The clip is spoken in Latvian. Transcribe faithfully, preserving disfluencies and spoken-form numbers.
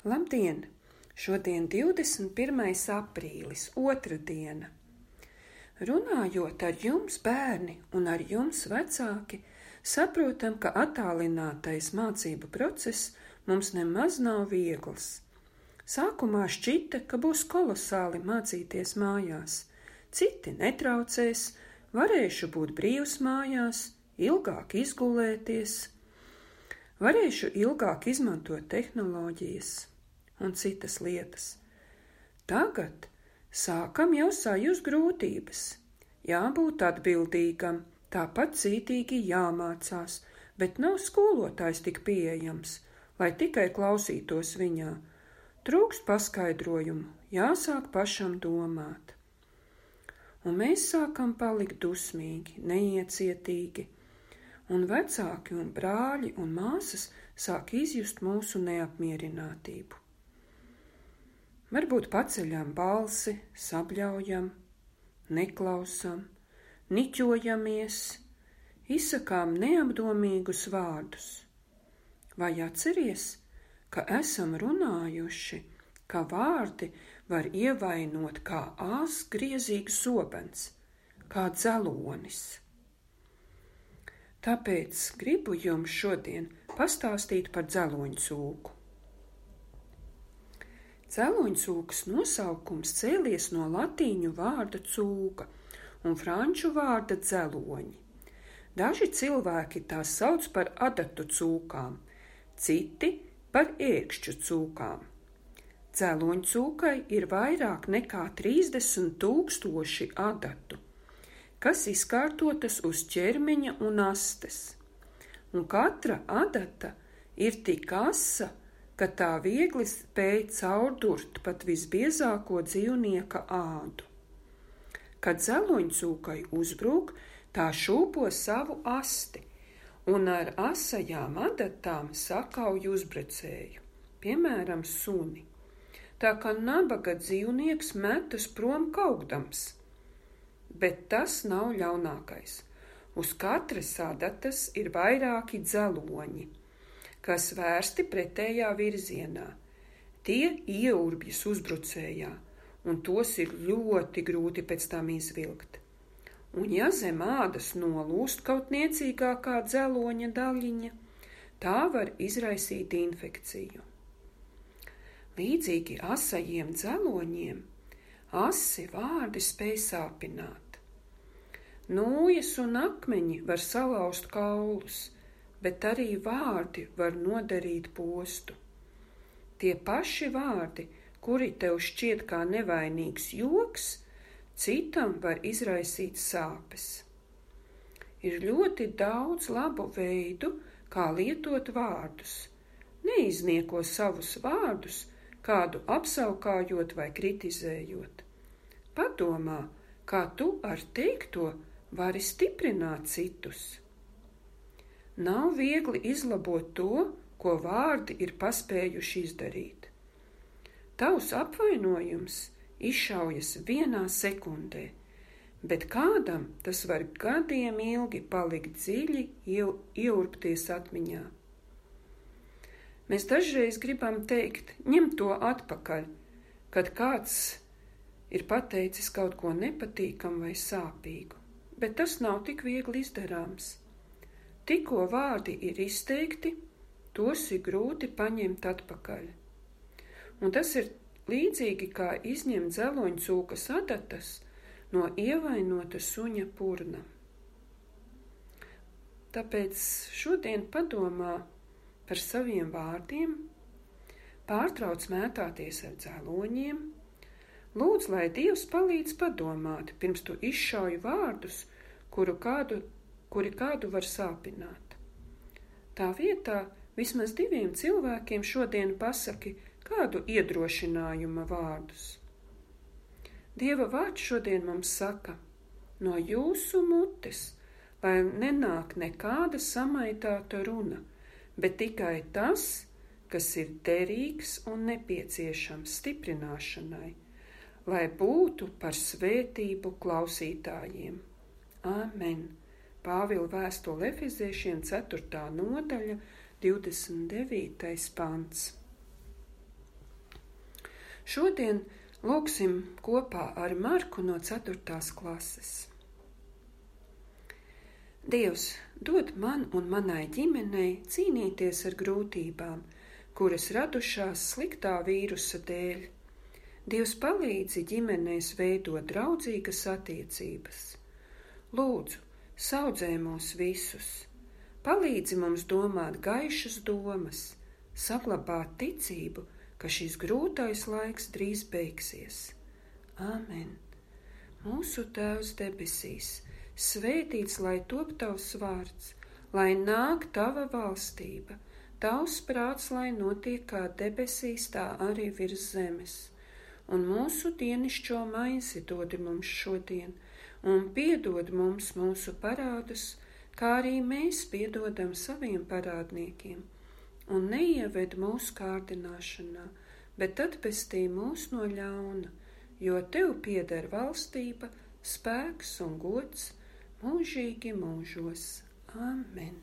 Labdien! Šodien divdesmit pirmais aprīlis, otra diena. Runājot ar jums, bērni, un ar jums, vecāki, saprotam, ka attālinātais mācību process mums nemaz nav viegls. Sākumā šķita, ka būs kolosāli mācīties mājās. Citi netraucēs, varēšu būt brīvs mājās, ilgāk izgulēties, varēšu ilgāk izmantot tehnoloģijas un citas lietas. Tagad sākam jau sajust grūtības. Jābūt atbildīgam, tāpat cītīgi jāmācās, bet nav skolotājs tik pieejams, lai tikai klausītos viņā. Trūkst paskaidrojumu, jāsāk pašam domāt. Un mēs sākam palikt dusmīgi, neiecietīgi, un vecāki un brāļi un māsas sāk izjust mūsu neapmierinātību. Varbūt paceļam balsi, sabļaujam, neklausam, niķojamies, izsakām neapdomīgus vārdus. Vai atceries, ka esam runājuši, ka vārdi var ievainot kā ās griezīgs zobens, kā dzelonis? Tāpēc gribu jums šodien pastāstīt par dzeloņcūku. Dzeloņcūkas nosaukums cēlies no latīņu vārda cūka un franču vārda dzeloņi. Daži cilvēki tās sauc par adatu cūkām, citi par ērkšķu cūkām. Dzeloņcūkai ir vairāk nekā trīsdesmit tūkstoši adatu, kas izkārtotas uz ķermeņa un astes, un katra adata ir tik asa, ka tā viegli spēj caurdurt pat visbiezāko dzīvnieka ādu. Kad dzeloņcūkai uzbrūk, tā šūpo savu asti un ar asajām adatām sakauj uzbrucēju, piemēram, suni. Tā kā nabaga dzīvnieks metas prom kaukdams. Bet tas nav ļaunākais. Uz katras adatas ir vairāki dzeloņi, kas vērsti pretējā virzienā. Tie ieurbjas uzbrucējā, un tos ir ļoti grūti pēc tam izvilkt. Un ja zem ādas nolūst kaut niecīgākā dzeloņa daļiņa, tā var izraisīt infekciju. Līdzīgi asajiem dzeloņiem, asi vārdi spēj sāpināt. Nūjas un akmeņi var salauzt kaulus, bet arī vārdi var nodarīt postu. Tie paši vārdi, kuri tev šķiet kā nevainīgs joks, citam var izraisīt sāpes. Ir ļoti daudz labu veidu, kā lietot vārdus. Neiznieko savus vārdus, kādu apsaukājot vai kritizējot. Padomā, kā tu ar teikto vari stiprināt citus. Nav viegli izlabot to, ko vārdi ir paspējuši izdarīt. Tavs apvainojums izšaujas vienā sekundē, bet kādam tas var gadiem ilgi palikt dziļi ieurpties atmiņā. Mēs dažreiz gribam teikt, ņem to atpakaļ, kad kāds ir pateicis kaut ko nepatīkamu vai sāpīgu, bet tas nav tik viegli izdarāms. Tikko vārdi ir izteikti, tos ir grūti paņemt atpakaļ. Un tas ir līdzīgi kā izņemt dzeloņcūkas adatas no ievainota suņa purna. Tāpēc šodien padomā par saviem vārdiem, pārtrauc mētāties ar dzeloņiem, lūdz, lai Dievs palīdz padomāt, pirms tu izšauj vārdus, kuru kādu kuri kādu var sāpināt. Tā vietā vismaz diviem cilvēkiem šodien pasaki kādu iedrošinājuma vārdus. Dieva vārds šodien mums saka, no jūsu mutes, lai nenāk nekāda samaitāta runa, bet tikai tas, kas ir derīgs un nepieciešams stiprināšanai, lai būtu par svētību klausītājiem. Āmen! Pāvila vēstule Efeziešiem ceturtā nodaļa, divdesmit devītais pants. Šodien lūksim kopā ar Marku no ceturtās klases. Dievs, dod man un manai ģimenei cīnīties ar grūtībām, kuras radušās sliktā vīrusa dēļ. Dievs palīdzi ģimenēs veidot draudzīgas attiecības. Lūdzu, saudzē mūs visus, palīdzi mums domāt gaišas domas, saglabāt ticību, ka šis grūtais laiks drīz beigsies. Āmen. Mūsu Tēvs debesīs, svētīts lai top tavs vārds, lai nāk tava valstība, tavs prāts, lai notiek kā debesīs, tā arī virs zemes. Un mūsu dienišķo maizi dodi mums šodien, un piedod mums mūsu parādus, kā arī mēs piedodam saviem parādniekiem. Un neieved mūsu kārdināšanā, bet atpestī mūs no ļauna, jo tev pieder valstība, spēks un gods mūžīgi mūžos. Āmen!